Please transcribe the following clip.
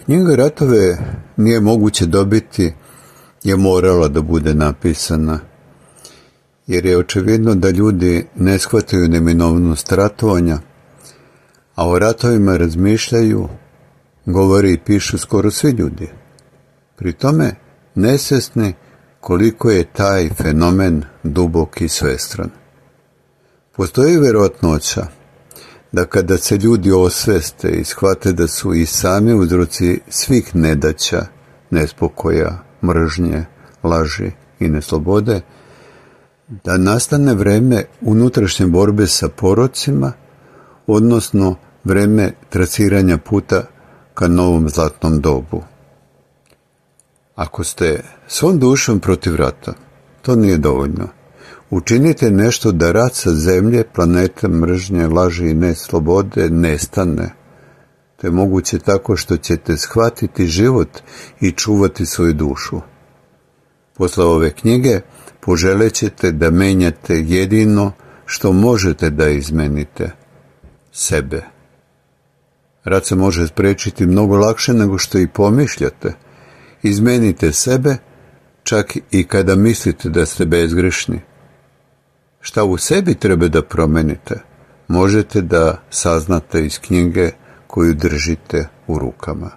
Knjiga Ratove nije moguće dobiti je morala da bude napisana, jer je očevidno da ljudi ne shvataju neminovnost ratovanja, a o ratovima razmišljaju, govore i pišu skoro svi ljudi. Pri tome nesvesni koliko je taj fenomen dubok i svestran. Postoji verovatnoća da kada se ljudi osveste i shvate da su i sami uzroci svih nedaća, nespokoja, mržnje, laži i neslobode, da nastane vreme unutrašnje borbe sa porocima, odnosno vreme trasiranja puta ka novom zlatnom dobu. Ako ste svom dušom protiv rata, to nije dovoljno. Učinite nešto da rat sa zemlje, planete, mržnje, laži i neslobode nestane. To je moguće tako što ćete shvatiti život i čuvati svoju dušu. Posle ove knjige poželećete da menjate jedino što možete da izmenite, sebe. Rat se može sprečiti mnogo lakše nego što i pomišljate. Izmenite sebe, čak i kada mislite da ste bezgrešni. Šta u sebi treba da promenite, možete da saznate iz knjige koju držite u rukama.